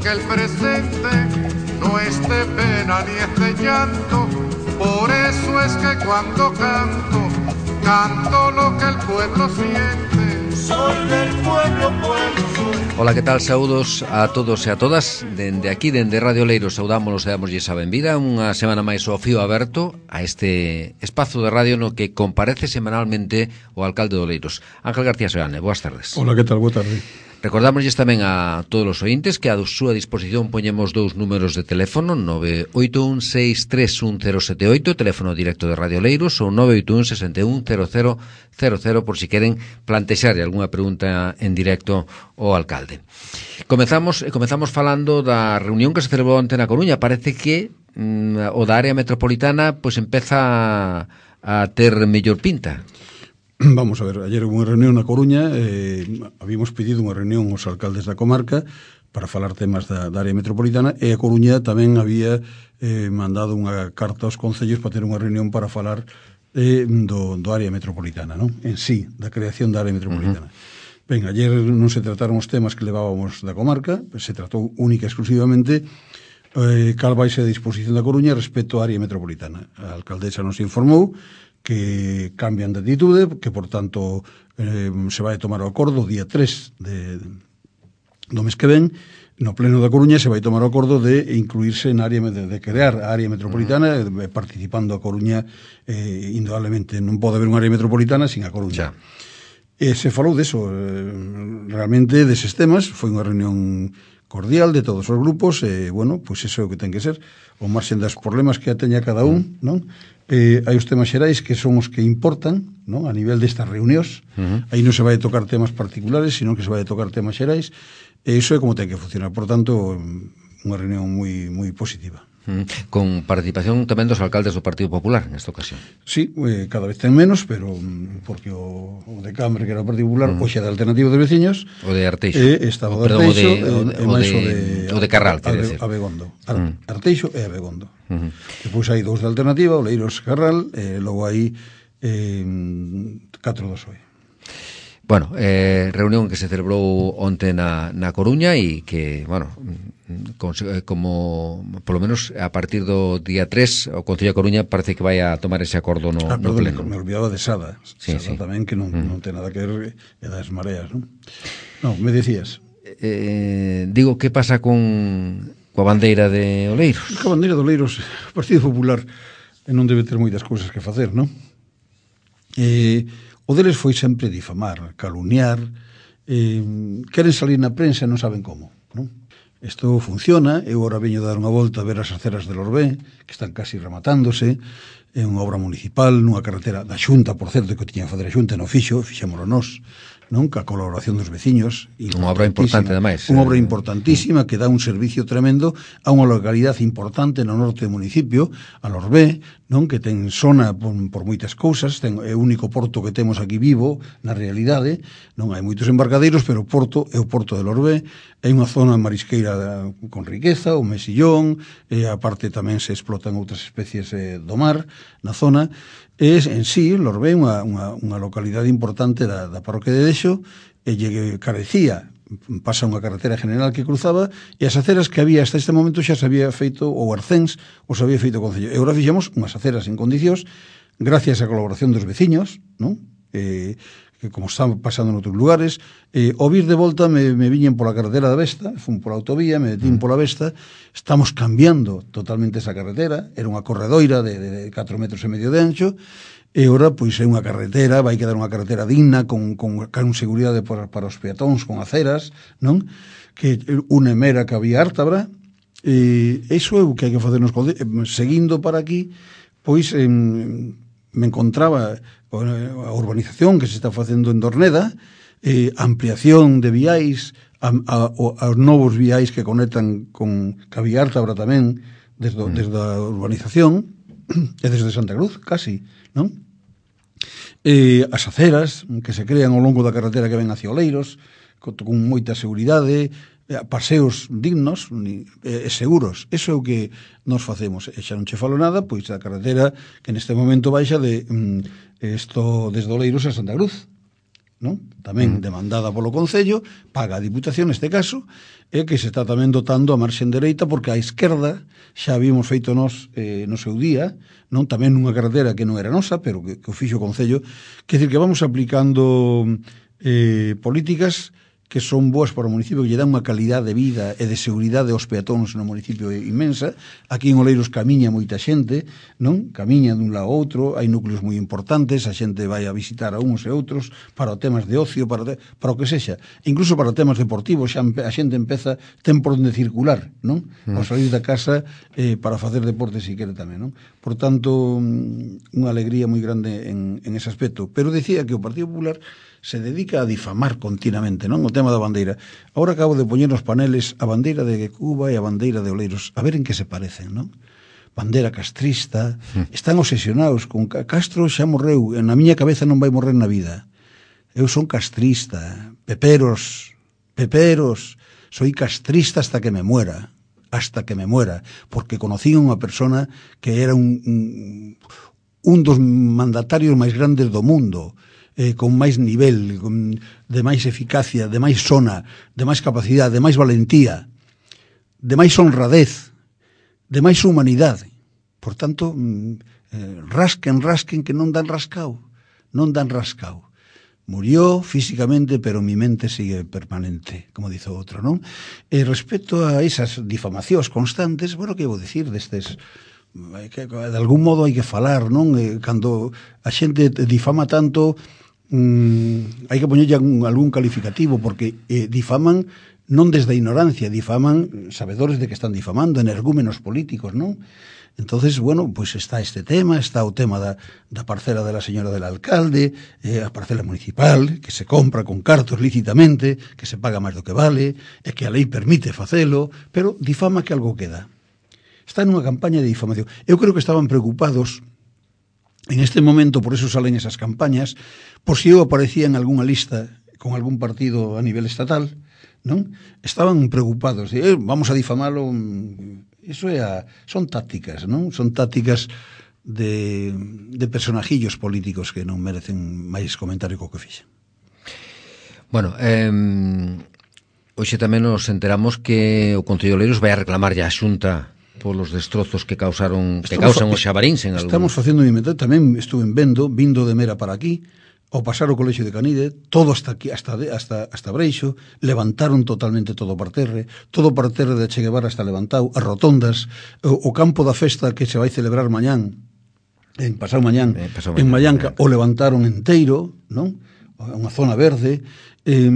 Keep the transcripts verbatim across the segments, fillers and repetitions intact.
que el presente no es de pena ni es de llanto. Por eso es que cuando canto, canto lo que el pueblo siente. Soy del pueblo, pueblo soy. Ola, que tal? Saúdos a todos e a todas. Dende aquí, dende Radio Oleiros, saudámonos e damoslle a benvida unha semana máis ao fío aberto a este espazo de radio no que comparece semanalmente o alcalde de Oleiros, Ángel García Seoane. Boas tardes. Ola, que tal? Boa tarde. Recordamosles tamén a todos os ointes que a súa disposición poñemos dous números de teléfono, nove oito un seis tres un cero sete oito, teléfono directo de Radio Oleiros, ou nove oito un seis un cero cero cero cero por si queren plantexar algunha pregunta en directo ao alcalde. Comezamos comezamos falando da reunión que se celebrou onte na Coruña. Parece que mm, o da área metropolitana pois empeza a ter mellor pinta. Vamos a ver, ayer hubo unha reunión na Coruña, eh, habíamos pedido unha reunión aos alcaldes da comarca para falar temas da, da área metropolitana, e a Coruña tamén había eh, mandado unha carta aos concellos para ter unha reunión para falar eh, do, do área metropolitana, non? En sí, da creación da área metropolitana. Uh-huh. Ben, ayer non se trataron os temas que levábamos da comarca, se tratou única e exclusivamente eh, cal vai ser a disposición da Coruña respecto á área metropolitana. A alcaldesa nos informou que cambian de atitude, que por tanto eh, se vai tomar o acordo o día tres de, do mes que ven, no pleno da Coruña se vai tomar o acordo de incluirse en área de, de crear a área metropolitana, uh-huh. eh, participando a Coruña eh, indudablemente. Non pode haber unha área metropolitana sin a Coruña. E se falou deso, eh, realmente deses temas, foi unha reunión cordial de todos os grupos, e, bueno, pois iso é o que ten que ser, o marxen das problemas que teña cada un, non? Eh, hai os temas xerais que son os que importan, non? A nivel destas reunións, uh-huh. aí non se vai tocar temas particulares, sino que se vai tocar temas xerais, e iso é como ten que funcionar. Por tanto, unha reunión moi moi positiva. Uh-huh. Con participación tamén dos alcaldes do Partido Popular nesta ocasión. Sí, eh, cada vez ten menos, pero porque o, o de Cámara, que era o Partido Popular, uh-huh. hoxe é da Alternativa dos Veciños, o de Arteixo, e estaba o de Arteixo, o de, o de, e máis o de, o de Carral, quer decir, Abegondo, Ar, uh-huh. Arteixo e Abegondo. Uh-huh. Depois hai dous de Alternativa, Oleiros, Carral, e logo hai eh, catro do P S O E. Bueno, eh, reunión que se celebrou onte na, na Coruña e que, bueno, con, como, polo menos a partir do día tres, o Concello de Coruña parece que vai a tomar ese acordo no, ah, no perdón, pleno. Me olvidaba de Sada, sí, Sada sí. tamén, que non, mm. non ten nada que ver, é das mareas, non? Non, me decías. Eh, digo, que pasa con coa bandeira de Oleiros? A bandeira de Oleiros, o Partido Popular non debe ter moitas cousas que facer, non? Eh... O deles foi sempre difamar, caluniar, eh, queren salir na prensa e non saben como, non? Isto funciona. Eu agora veño dar unha volta a ver as aceras de Lorbé, que están casi rematándose, é unha obra municipal, nunha carretera da Xunta, por certo, que tiña que fazer a Xunta, non fixo, fixémolo nós, non? Ca colaboración dos veciños. Unha obra importante, ademais. Unha obra importantísima que dá un servicio tremendo a unha localidade importante no norte do municipio, a Lorbé, non? Que ten zona por, por moitas cousas, ten, é o único porto que temos aquí vivo, na realidade, non hai moitos embarcadeiros, pero o porto é o porto de Lorbé, é unha zona marisqueira con riqueza, o mesillón, e aparte tamén se explotan outras especies eh, do mar na zona. É en sí, Lorbé, unha, unha, unha localidade importante da, da parroquia de Dexo, e lle carecía, pasa unha carretera general que cruzaba, e as aceras que había hasta este momento xa se había feito o Arcens, ou se había feito o Concello. E agora fixemos unhas aceras en condicións, gracias á colaboración dos veciños, non? Eh, que como están pasando en outros lugares, eh, ao vir de volta me, me viñen pola carretera da Vesta, fun pola autovía, me detín pola Vesta, estamos cambiando totalmente esa carretera, era unha corredoira de, de, de catro metros e medio de ancho, e ora pois é unha carretera, vai quedar unha carretera digna, con, con, con seguridade para, para os peatóns, con aceras, non? Que une Mera que había Ártabra, e iso é o que hai que facer nos concellos. Seguindo para aquí, pois eh, me encontraba a urbanización que se está facendo en Dorneda, eh, ampliación de viais, a, a, a novos viais que conectan con Cabiártabra tamén, desde, mm. desde a urbanización, e desde Santa Cruz, casi, non? Eh, as aceras que se crean ao longo da carretera que ven hacia Oleiros, con, con moita seguridade, paseos dignos e seguros. Eso é o que nos facemos. E xa non che falo nada, pois a carretera que neste momento baixa de mm, esto desde Oleiros a Santa Cruz, non? Tamén demandada polo Concello, paga a Diputación neste caso, e que se está tamén dotando a marxen dereita, porque a esquerda xa habíamos feito nos eh, no seu día, non tamén nunha carretera que non era nosa, pero que, que o fixo o Concello, que decir que vamos aplicando eh, políticas que son boas para o municipio, que lle dan unha calidad de vida e de seguridade aos peatóns no municipio inmensa. Aquí en Oleiros camiña moita xente, non? Camiña dun lado a outro, hai núcleos moi importantes, a xente vai a visitar a uns e outros para temas de ocio, para, te, para o que sexa. Incluso para temas deportivos, xa a xente empeza, ten por onde circular, non? Mm. Ao salir da casa eh, para facer deporte si quere tamén, non? Por tanto, unha alegría moi grande en, en ese aspecto. Pero decía que o Partido Popular se dedica a difamar continuamente, non? O tema da bandeira. Agora acabo de poñer nos paneles a bandeira de Cuba e a bandeira de Oleiros, a ver en que se parecen, non? Bandeira castrista, están obsesionados con Castro, xa morreu, na miña cabeza non vai morrer na vida. Eu son castrista, peperos, peperos, soy castrista hasta que me muera, hasta que me muera, porque conocí a unha persona que era un, un, un dos mandatarios máis grandes do mundo, Eh, con máis nivel, con, de máis eficacia, de máis sona, de máis capacidade, de máis valentía, de máis honradez, de máis humanidade. Por tanto, eh, rasquen, rasquen, que non dan rascao, non dan rascao. Murió físicamente, pero mi mente sigue permanente, como dice outro, non? E respecto a esas difamacións constantes, bueno, que vou dicir destes... Que, de algún modo hai que falar, non? Eh, cando a xente difama tanto, mm, hai que poñerlle algún, algún calificativo, porque eh, difaman non desde a ignorancia, difaman sabedores de que están difamando, energúmenos políticos, non? Entonces, bueno, pues está este tema, está o tema da, da parcela de la señora del alcalde, eh, a parcela municipal, que se compra con cartos lícitamente, que se paga máis do que vale, e que a lei permite facelo, pero difama que algo queda. Está nunha campaña de difamación. Eu creo que estaban preocupados en este momento, por eso salen esas campañas, por si eu aparecía en algunha lista con algún partido a nivel estatal, non? Estaban preocupados de, eh, vamos a difamalo. Eso é a, son tácticas, non? Son tácticas de, de personajillos políticos que non merecen máis comentario co que fixen. Bueno, eh, hoxe tamén nos enteramos que o Concello de Oleiros vai a reclamar ya a Xunta polos destrozos que causaron que estamos, causan os xabaríns en algún... Estamos facendo un inventario, tamén estuve vendo, vindo de Mera para aquí, ao pasar o colexio de Canide, todo hasta aquí, hasta de, hasta hasta Breixo, levantaron totalmente todo o parterre, todo o parterre de Che Guevara está levantado, as rotondas, o, o campo da festa que se vai celebrar mañán, en pasado mañán, eh, pasado en Mallanca, mañán. O levantaron enteiro, non? Unha zona verde, eh,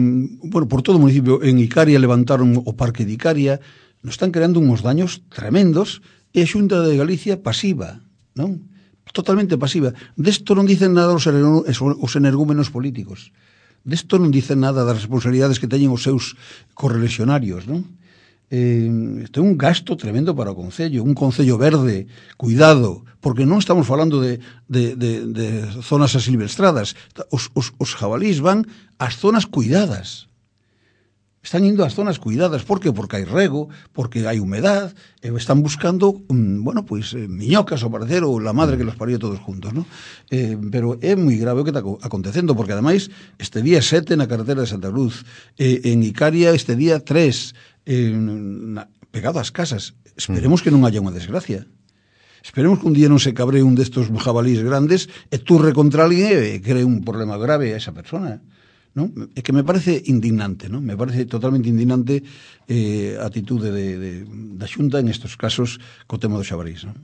bueno, por todo o municipio, en Icaria levantaron o parque de Icaria. Nos están creando uns daños tremendos, e a Xunta de Galicia pasiva, non? Totalmente pasiva. Desto non dicen nada os, os energúmenos políticos. Desto non dicen nada das responsabilidades que teñen os seus correligionarios, non? Eh, isto é un gasto tremendo para o Concello, un Concello verde, cuidado, porque non estamos falando de, de, de, de zonas asilvestradas. Os, os, os jabalís van ás zonas cuidadas. Están indo ás zonas cuidadas. Por que? Porque hai rego, porque hai humedad, e están buscando, mm, bueno, pois, pues, eh, miñocas, ao parecer, ou la madre que los parió todos juntos, ¿no? Eh, pero é moi grave o que está acontecendo, porque, ademais, este día sete na carretera de Santa Cruz, eh, en Icaria este día tres, eh, na, pegado ás casas. Esperemos que non haya unha desgracia. Esperemos que un día non se cabre un destos jabalís grandes e turre contra alguén e cree un problema grave a esa persona, ¿no? É que me parece indignante, ¿no? Me parece totalmente indignante eh, a atitude de, de, da Xunta en estos casos co tema do xabarís, ¿no?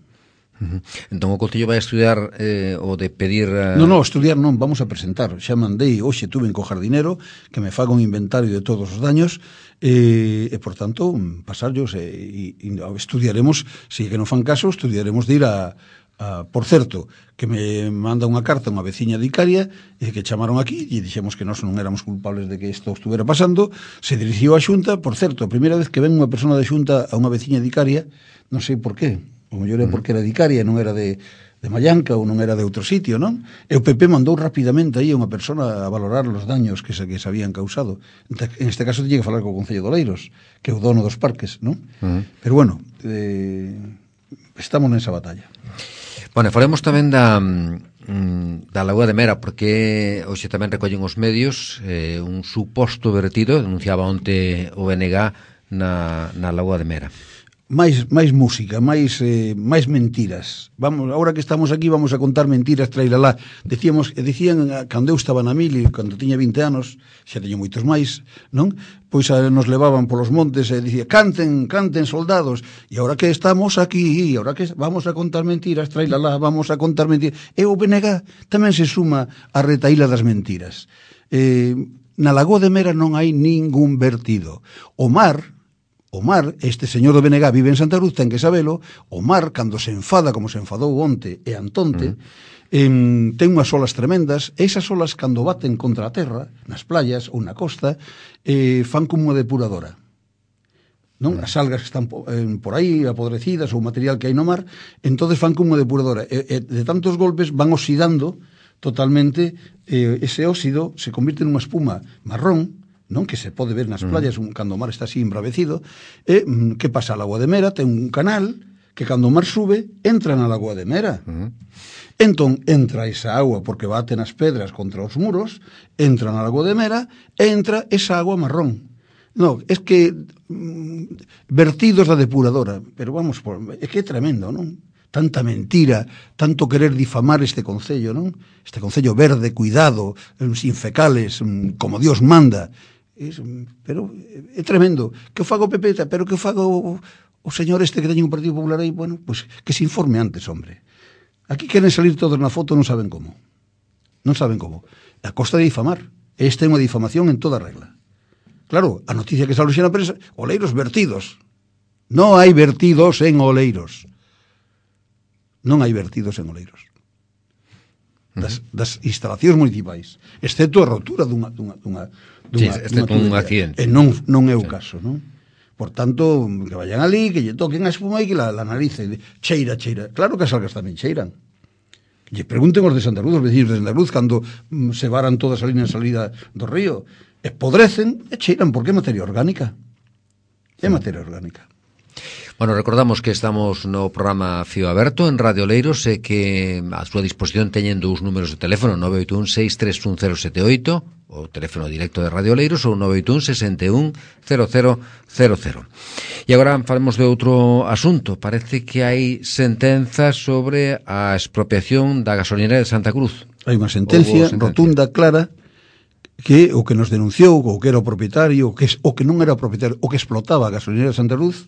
Uh-huh. Entón o Concello vai a estudiar eh, o de pedir... Uh... Non, non, estudiar non, vamos a presentar. Xa mandei, hoxe tuve en co jardinero que me faga un inventario de todos os daños e, e por tanto, pasarlos e, e, e estudiaremos, se que non fan caso, estudiaremos de ir a... Uh, por certo, que me manda unha carta unha veciña de Icaria e que chamaron aquí e dixemos que nós non éramos culpables de que isto estuvera pasando. Se dirixiu á Xunta, por certo, a primeira vez que ven unha persona de Xunta a unha veciña de Icaria, non sei por qué, o mellor é porque era de Icaria, non era de, de Mallanca ou non era de outro sitio, non? E o P P mandou rapidamente aí a unha persona a valorar os daños que se, que se habían causado. En este caso tiña que falar co Concello de Oleiros, que é o dono dos parques, non? Uh-huh. Pero bueno, eh, estamos nesa batalla. Bueno, falemos tamén da, mm, da Lagoa de Mera, porque hoxe tamén recollen os medios eh, un suposto vertido, denunciaba onte o B N G na, na Lagoa de Mera. máis máis música, máis eh, máis mentiras. Vamos, agora que estamos aquí vamos a contar mentiras, trailalá. Decíamos, decían cando eu estaba na mili, cando tiña vinte anos, xa teño moitos máis, non? Pois a, nos levaban polos montes e dicía, canten, canten soldados. E agora que estamos aquí, agora que vamos a contar mentiras, trailalá, vamos a contar mentiras. E o B N G tamén se suma a retaíla das mentiras. Eh, na Lagoa de Mera non hai ningún vertido. O mar O mar, este señor do B N G vive en Santa Cruz, ten que sabelo, o mar, cando se enfada, como se enfadou onte e antonte, mm. em, ten unhas olas tremendas, e esas olas, cando baten contra a terra, nas playas ou na costa, eh, fan como unha depuradora. Non? Mm. As algas que están eh, por aí, apodrecidas, ou material que hai no mar, entonces fan como unha depuradora. E, e de tantos golpes van oxidando totalmente, eh, ese óxido se convirte nunha espuma marrón, non, que se pode ver nas playas mm. cando o mar está así embravecido. E mm, que pasa? A Lagoa de Mera ten un canal que cando o mar sube entra na Lagoa de Mera. Mm. Entón entra esa agua porque bate nas pedras contra os muros, entra na Lagoa de Mera e entra esa agua marrón. No, es que mm, vertidos da depuradora, pero vamos, por, é que é tremendo, non? Tanta mentira, tanto querer difamar este concello, non? Este concello verde, cuidado, sin fecales, como Dios manda. Es, pero é tremendo. Que o fago o P P, pero que o fago o, o señor este que teñe un Partido Popular aí, bueno, pues que se informe antes, hombre. Aquí queren salir todos na foto, non saben como. Non saben como. A costa de difamar. Esta é unha difamación en toda regla. Claro, a noticia que sale xa na prensa, oleiros vertidos. Non hai vertidos en oleiros. Non hai vertidos en oleiros. Das, das instalacións municipais, excepto a rotura dunha, dunha, dunha, dunha, sí, excepto dunha un accidente. E non, non é o sí. caso, non? Por tanto, que vayan ali, que lle toquen a espuma e que la, la narice cheira, cheira. Claro que as algas tamén cheiran. Lle pregunten os de Santa Cruz, os vecinos de Santa Cruz, cando mm, se varan todas ali na salida do río, espodrecen e cheiran, porque é materia orgánica. É materia orgánica. Bueno, recordamos que estamos no programa Fío Aberto en Radio Oleiros e que a súa disposición teñen dous números de teléfono, nove oito un seis tres un cero sete oito, o teléfono directo de Radio Oleiros, ou nove oito un seis un cero cero cero cero. E agora falemos de outro asunto. Parece que hai sentenzas sobre a expropiación da gasolinera de Santa Cruz. Hai unha sentencia, sentencia rotunda, clara, que o que nos denunciou, o que era o propietario, o que, o que non era o propietario, o que explotaba a gasolinera de Santa Cruz,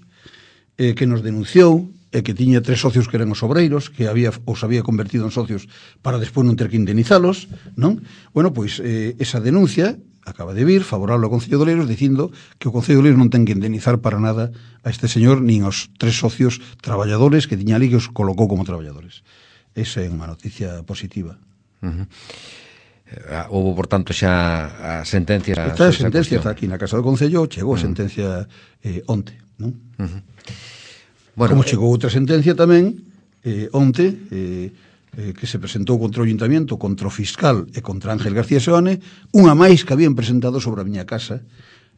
eh, que nos denunciou e que tiña tres socios que eran os obreiros, que había os había convertido en socios para despois non ter que indemnizalos, non? Bueno, pois eh, esa denuncia acaba de vir favorable ao Concello de Oleiros dicindo que o Concello de Oleiros non ten que indemnizar para nada a este señor nin aos tres socios traballadores que tiña ali que os colocou como traballadores. Esa é unha noticia positiva. Uh-huh. Houve, por tanto, xa a sentencia... Esta a sentencia está aquí na Casa do Concello, chegou a sentencia eh, onte, non? Uh-huh. Bueno, como chegou outra sentencia tamén eh, onte eh, eh, que se presentou contra o Ayuntamiento, contra o fiscal e contra Ángel García Seoane, unha máis que habían presentado sobre a miña casa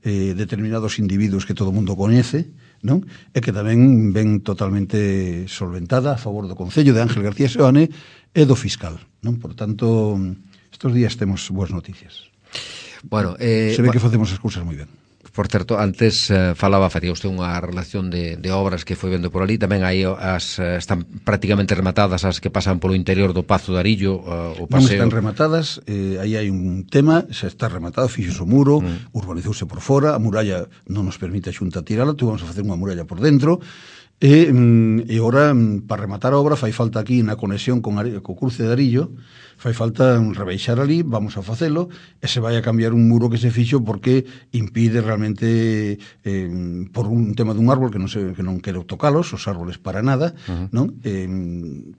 eh, determinados individuos que todo o mundo coñece, non? E que tamén ven totalmente solventada a favor do Concello de Ángel García Seoane e do fiscal, non? Por tanto, estes días temos boas noticias. Bueno, eh, se ve que facemos as cousas moi ben. Por certo, antes eh, falaba, facía usted unha relación de, de obras que foi vendo por ali, tamén aí as eh, están prácticamente rematadas as que pasan polo interior do Pazo de Arillo, uh, o paseo. Non están rematadas, eh, aí hai un tema, xa está rematado, fixos o muro, mm. urbanizouse por fora, a muralla non nos permite a Xunta tirala, tu vamos a facer unha muralla por dentro, e, mm, e ora, mm, para rematar a obra, fai falta aquí na conexión con Ari, co cruce de Arillo, fai falta rebeixar ali, vamos a facelo, e se vai a cambiar un muro que se fixo porque impide realmente, eh, por un tema dun árbol que non, se, que non quero tocalos, os árboles para nada, uh-huh. non? Eh,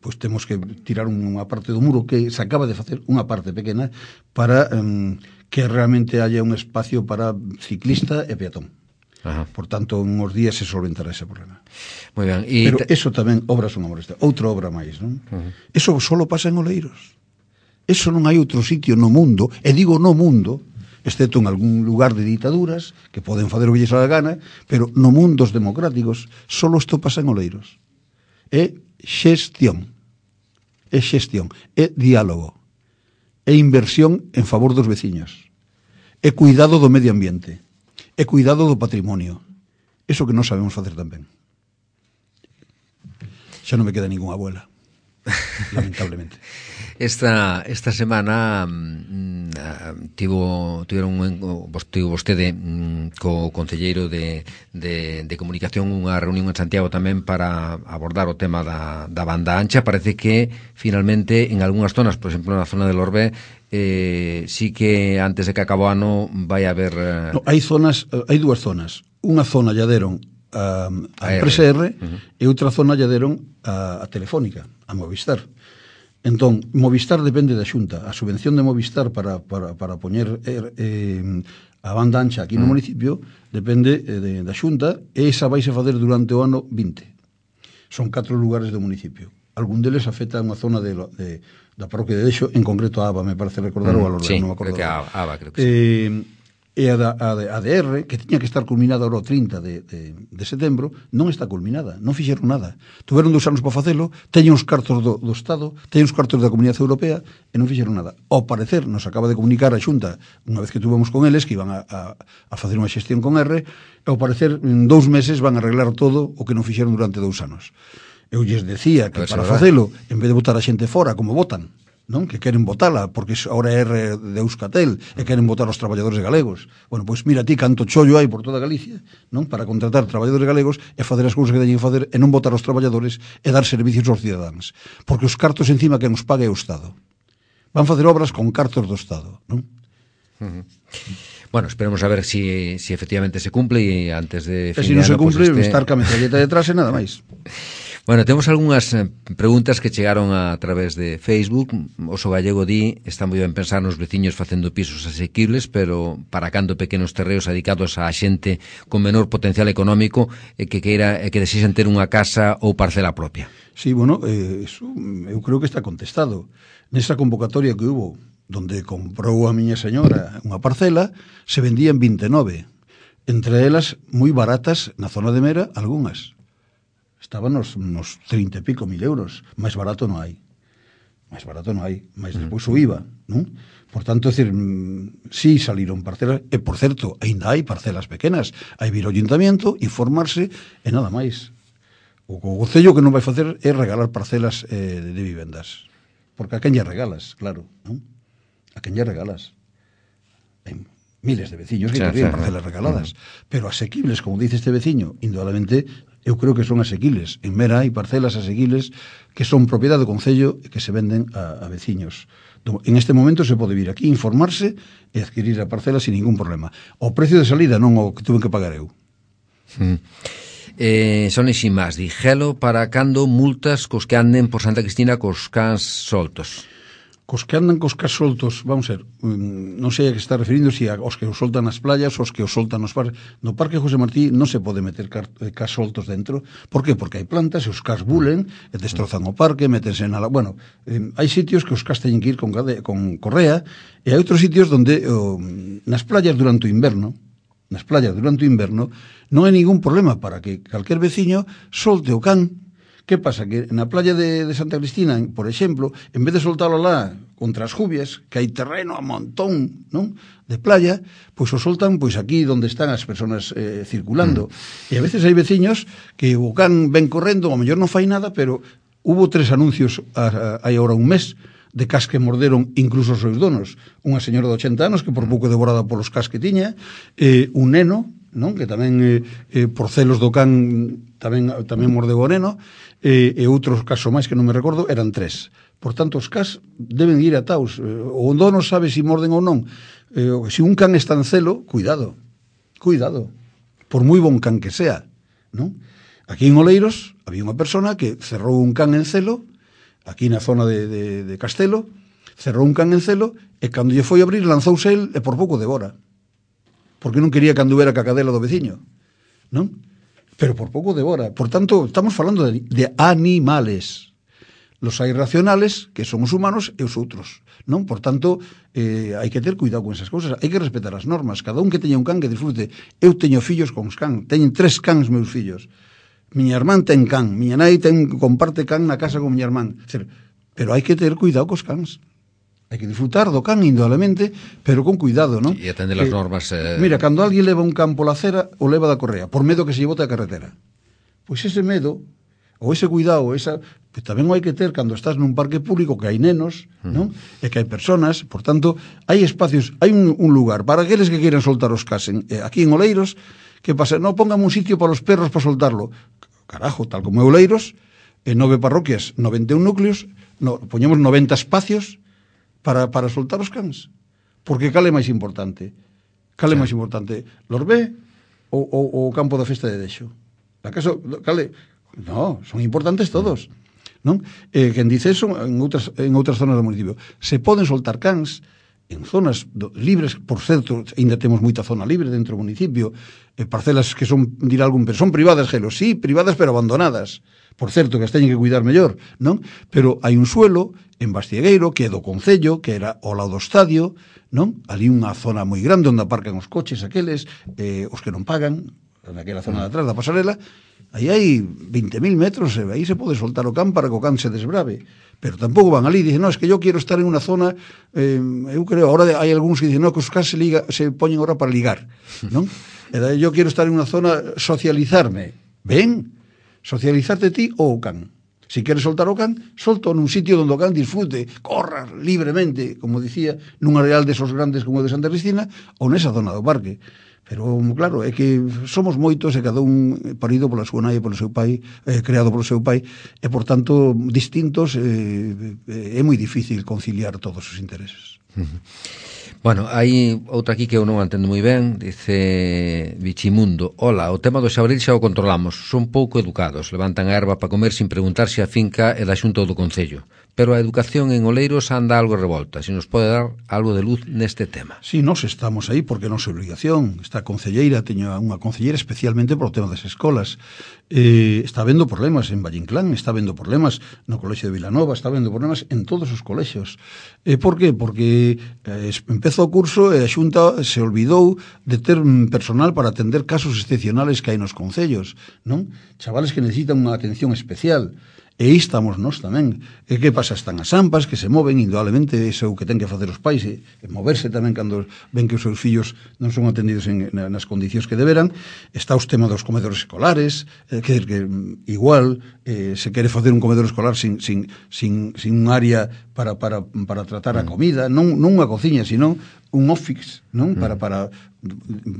pois temos que tirar unha parte do muro que se acaba de facer, unha parte pequena, para eh, que realmente haya un espacio para ciclista e peatón. Ajá. Por tanto, en uns días se solventará ese problema. Moi ben. E pero te... eso tamén, obras son obras. Outra obra máis, non? Uh-huh. Eso solo pasa en Oleiros. Eso non hai outro sitio no mundo, e digo no mundo, excepto en algún lugar de ditaduras, que poden fazer o que lles a gana, pero no mundos democráticos, solo isto pasa en Oleiros. É xestión. é xestión, é diálogo, é inversión en favor dos veciños, é cuidado do medio ambiente, é cuidado do patrimonio. Eso que non sabemos facer tan ben. Xa non me queda ninguna abuela, lamentablemente. Esta esta semana mm, tivo tiveron un, tivo vostede mm, co concelleiro de, de, de comunicación unha reunión en Santiago tamén para abordar o tema da, da banda ancha. Parece que finalmente en algunhas zonas, por exemplo na zona del Orbé, eh, sí que antes de que acabe o ano vai haber... Eh... No, hai zonas, hai dúas zonas. Unha zona lla deron a, a empresa R, uh-huh. e outra zona lla deron a, a Telefónica, a Movistar. Entón, Movistar depende da Xunta. A subvención de Movistar para, para, para poñer eh, a banda ancha aquí no uh-huh. municipio depende eh, de, da Xunta, e esa vais a fazer durante o ano vinte. Son catro lugares do municipio. Algún deles afecta a unha zona de, de, da parroquia de Dexo, en concreto a Aba, me parece recordar, uh-huh. o a Lorda, sí, non me acordo. Creo que a Aba, creo que sí. Eh, e a, da, a, de, a de R, que tiña que estar culminada ahora o trinta de, de, de setembro, non está culminada, non fixeron nada. Tuveron dous anos para facelo, teñen os cartos do, do Estado, teñen os cartos da Comunidade Europea, e non fixeron nada. Ao parecer, nos acaba de comunicar a Xunta, unha vez que tuvemos con eles, que iban a, a, a facer unha xestión con R, e ao parecer, en dous meses van a arreglar todo o que non fixeron durante dous anos. Eu lles decía que para facelo, en vez de botar a xente fora, como votan, non? Que queren votala, porque ahora é R de Euskaltel, e queren votar os traballadores galegos. Bueno, pois mira ti canto chollo hai por toda Galicia, non? Para contratar traballadores galegos e facer as cousas que teñen que facer, e non votar os traballadores e dar servicios aos cidadáns. Porque os cartos encima que nos pague o Estado. Van facer obras con cartos do Estado, non? Uh-huh. Bueno, esperemos a ver si, si efectivamente se cumple, e antes de fin e se non se cumple, pues este... estar ca metralleta detrás e nada máis. Bueno, temos algunhas preguntas que chegaron a través de Facebook. Oso Gallego di, está moi ben pensar nos veciños facendo pisos asequibles, pero para cando pequenos terreos dedicados a xente con menor potencial económico e que queira e que desexen ter unha casa ou parcela propia. Sí, bueno, eh, eso, eu creo que está contestado. Nesa convocatoria que hubo, donde comprou a miña señora unha parcela, se vendían vinte e nove. Entre elas, moi baratas, na zona de Mera, algunhas. Estaban nos, nos trinta e pico mil euros. Máis barato non hai. Máis barato non hai. Máis despois o I V A, non? Por tanto, é dicir, sí saliron parcelas, e por certo, ainda hai parcelas pequenas. Hai vir ao ayuntamiento, informarse, e nada máis. O concello que non vai facer é regalar parcelas eh, de vivendas. Porque a quen lle regalas, claro, non? A quen lle regalas. Hai miles de veciños que querían parcelas regaladas, pero asequibles, como dice este veciño, indudablemente, eu creo que son asequibles. En Mera hai parcelas asequibles que son propiedade do concello e que se venden a, a veciños. En este momento se pode vir aquí, informarse e adquirir a parcela sin ningún problema. O precio de salida non o que tuve que pagar eu. Mm. Eh, son ixi máis, dixelo para cando multas cos que anden por Santa Cristina cos cans soltos. Cos que andan cos cas soltos, vamos a ver, non sei a que está referindo, si aos que os soltan nas playas, os que os soltan nos parques. No Parque José Martí non se pode meter cas soltos dentro. Por que? Porque hai plantas e os cas bulen e destrozan o parque, metense na... Bueno, eh, hai sitios que os cas teñen que ir con, con correa, e hai outros sitios donde oh, nas playas durante o inverno, nas playas durante o inverno, non hai ningún problema para que calquer veciño solte o can. Que pasa? Que na playa de, de Santa Cristina, por exemplo, en vez de soltalo lá contra as jubias, que hai terreno a montón, non? De playa, pois o soltan pois aquí onde están as persoas eh, circulando. Mm. E a veces hai veciños que o can ven correndo, ao mellor non fai nada, pero hubo tres anuncios a, a, hai ahora un mes de cas que morderon incluso os seus donos. Unha señora de ochenta anos que por pouco devorada polos cas que tiña, eh, un neno, non? Que tamén eh, eh, por celos do can tamén tamén mordeu o neno, e, e outros casos máis que non me recordo, eran tres. Por tanto, os cas deben ir ataos. O dono sabe se si morden ou non. Eh, se un can está en celo, cuidado, cuidado, por moi bon can que sea, non? Aquí en Oleiros había unha persona que cerrou un can en celo, aquí na zona de, de, de Castelo, cerrou un can en celo, e cando lle foi abrir lanzouse el e por pouco devora. Porque non quería que anduvera ca cadela do veciño, non? Pero por pouco devora. Por tanto, estamos falando de, de animales. Los hai racionales, que son os humanos, e os outros, non? Por tanto, eh, hai que ter cuidado con esas cousas. Hai que respetar as normas. Cada un que teña un can que disfrute. Eu teño fillos con os can. Teñen tres cans meus fillos. Miña irmán ten can. Miña nai ten, comparte can na casa con miña irmán. É dizer, pero hai que ter cuidado cos cans. Hai que disfrutar do can indudablemente, pero con cuidado, non? E atender as normas... Eh... Mira, cando alguén leva un can pola acera, o leva da correa, por medo que se lle bote a carretera. Pois ese medo, ou ese cuidado, esa... que tamén hai que ter cando estás nun parque público, que hai nenos, non? E que hai personas, por tanto, hai espacios, hai un, un lugar para aqueles que queiran soltar os cas en, eh, aquí en Oleiros, que pasa, non pongan un sitio para os perros para soltarlo. Carajo, tal como é Oleiros, en nove parroquias, noventa e un núcleos, no, poñemos noventa espacios para, para soltar os cans. Porque cal é máis importante? Cal é máis importante? Lorbé ou, ou o campo da festa de Dexo? Acaso, cal é? No, son importantes todos. Non? Eh, quen dice eso en outras, en outras zonas do municipio. Se poden soltar cans en zonas do, libres, por certo, ainda temos moita zona libre dentro do municipio, eh, parcelas que son, dirá algún, pero son privadas, Gelo, sí, privadas pero abandonadas. Por certo, que as teñen que cuidar mellor, non? Pero hai un suelo en Bastiegueiro, que é do Concello, que era ao lado do estadio, non? Ali unha zona moi grande onde aparcan os coches aqueles, eh, os que non pagan, naquela zona de atrás da pasarela, aí hai veinte mil metros, e aí se pode soltar o can para que o can se desbrave. Pero tampouco van ali, dicen, no, es que yo quiero estar en unha zona, eh, eu creo, ahora hai algúns que dicen, no, que os cans se, liga, se poñen ahora para ligar, non? Era, yo quiero estar en unha zona, socializarme. Ben, socializarte ti ou o can. Si queres soltar o can, solto nun sitio onde o can disfrute, corra libremente, como dicía, nun areal desos grandes como o de Santa Cristina, ou nesa zona do parque. Pero, claro, é que somos moitos e cada un parido pola súa nai e polo seu pai, eh, creado polo seu pai, e, por tanto, distintos, eh, é moi difícil conciliar todos os intereses. Uh-huh. Bueno, hai outra aquí que eu non entendo moi ben, dice Bichimundo: hola, o tema do xabril xa o controlamos, son pouco educados, levantan a erva para comer sin preguntar se a finca é da Xunta ou do Concello, pero a educación en Oleiros anda algo revolta, se nos pode dar algo de luz neste tema. Si, sí, nós estamos aí porque non é obligación, esta concelleira, teño unha concelleira especialmente por o tema das escolas, eh, está vendo problemas en Vallinclán, está vendo problemas no Colexio de Vilanova, está vendo problemas en todos os colexios. Eh, por que? Porque eh, empezou o curso e a Xunta se olvidou de ter personal para atender casos excepcionales que hai nos concellos, non? Chavales que necesitan unha atención especial. E aí estamos nós tamén. E que pasa? Están as AMPAs que se moven, indudablemente, iso é o que ten que facer os pais, e, e moverse tamén cando ven que os seus fillos non son atendidos en, na, nas condicións que deberan. Está os temas dos comedores escolares, eh, que, que igual eh, se quere facer un comedor escolar sin, sin, sin, sin un área para, para, para tratar a comida, non, non unha cociña, sino un office, non? Para, para,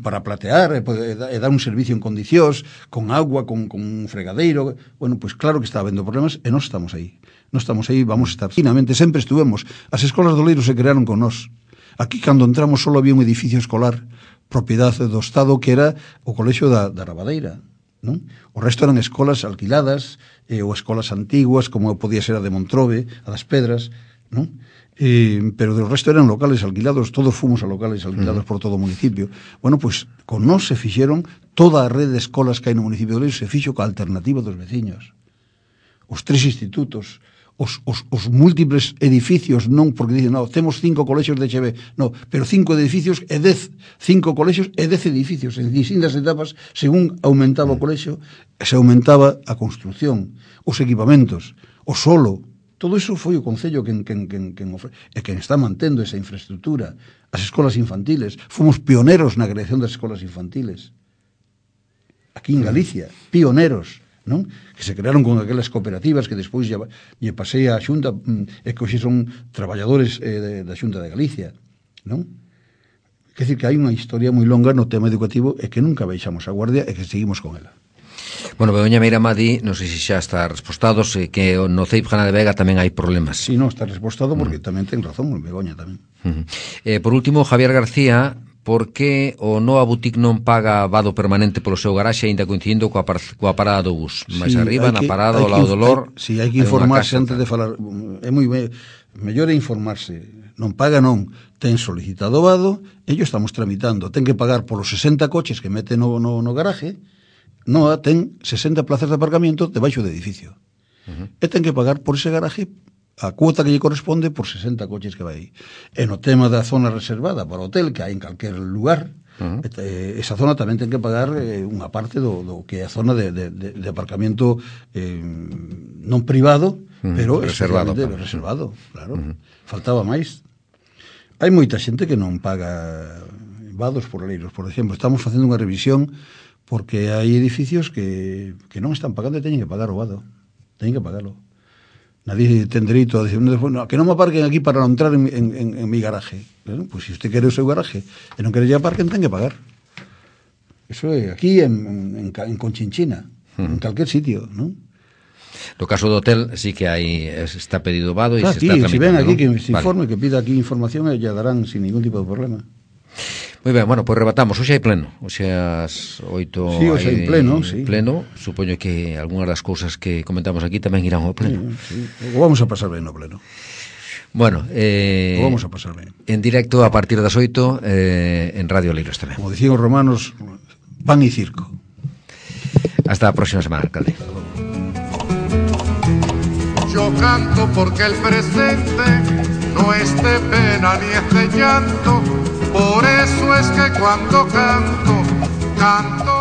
para platear e, e dar un servicio en condicións, con agua, con, con un fregadeiro. Bueno, pois pues claro que está habendo problemas e non estamos aí. Non estamos aí, vamos a estar. Finalmente, sempre estuvemos. As escolas do Oleiros se crearon con nós. Aquí, cando entramos, só había un edificio escolar, propiedade do Estado, que era o Colexio da, da Rabadeira, non? O resto eran escolas alquiladas, eh, ou escolas antiguas, como podía ser a de Montrobe, a das Pedras, non? Eh, pero do resto eran locales alquilados, todos fomos a locales alquilados uh-huh. por todo o municipio. Bueno, pois, pues, con nós se fixeron toda a rede de escolas que hai no municipio de Oleiros, se fixo ca alternativa dos veciños. Os tres institutos, os, os, os múltiples edificios, non porque dicen, no, temos cinco colexios de H B, no, pero cinco edificios e dez, cinco colexios e dez edificios, en distintas etapas, según aumentaba o colexio, se aumentaba a construción, os equipamentos, o solo. Todo iso foi o Concello quen, quen, quen, quen ofre, e quen está mantendo esa infraestructura. As escolas infantiles, fomos pioneros na creación das escolas infantiles. Aquí en Galicia, pioneros, non? Que se crearon con aquelas cooperativas que despois lle, lle pasei a Xunta, e que hoxe son traballadores eh, da Xunta de Galicia, non? Quer dizer que hai unha historia moi longa no tema educativo e que nunca baixamos a guardia e que seguimos con ela. Bueno, Begoña Meira Madi, non sei se xa está respostados, eh, que no C E I P Jana de Vega tamén hai problemas. Si, sí, non, está respostado porque uh-huh. tamén ten razón, Begoña tamén. Uh-huh. Eh, por último, Javier García, por que o Noa Boutique non paga vado permanente polo seu garaxe aínda coincidindo coa, par, coa parada do bus? Mais sí, arriba, na parada, ao lado do Lor... Si, sí, hai que informarse antes de falar. É moi ben, mellor é informarse. Non paga, non. Ten solicitado vado, ello estamos tramitando. Ten que pagar polos sesenta coches que mete no, no, no garaje. Noa ten sesenta plazas de aparcamiento debaixo do edificio. Uh-huh. E ten que pagar por ese garaje a cuota que lle corresponde por sesenta coches que vai aí. E no tema da zona reservada para hotel, que hai en calquer lugar, uh-huh. eh, esa zona tamén ten que pagar eh, unha parte do, do que é a zona de, de, de, de aparcamento eh, non privado, uh-huh. pero reservado, reservado, claro. Uh-huh. Faltaba máis. Hai moita xente que non paga vados por leiros, por exemplo. Estamos facendo unha revisión porque hai edificios que, que non están pagando e teñen que pagar o vado. Teñen que pagarlo. Nadie ten dereito a decir, no, que non me aparquen aquí para non entrar en, en, en, en mi garaje. Bueno, pues se usted quere o seu garaje e non quere que aparquen, ten que pagar. Eso é aquí en, en, en Conchinchina, uh-huh. en calquer sitio, non? No caso do hotel sí que hai está pedido vado e claro, se está tramitando. Si ven aquí, ¿no? Que se vale. informe, que pida aquí información e ya darán sin ningún tipo de problema. Moi ben, bueno, pois pues rebatamos. Hoxe hai pleno. Hoxe as oito sí, hoxe hai pleno, sí. pleno. Supoño que algunhas das cousas que comentamos aquí tamén irán ao pleno. Sí, sí. O vamos a pasar ben no pleno. Bueno, eh, o vamos a pasar ben. En directo a partir das oito eh, en Radio Leiros tamén. Como dicían os romanos, pan e circo. Hasta a próxima semana, alcalde. Yo canto porque el presente no es de pena ni es de llanto. Por eso es que cuando canto, canto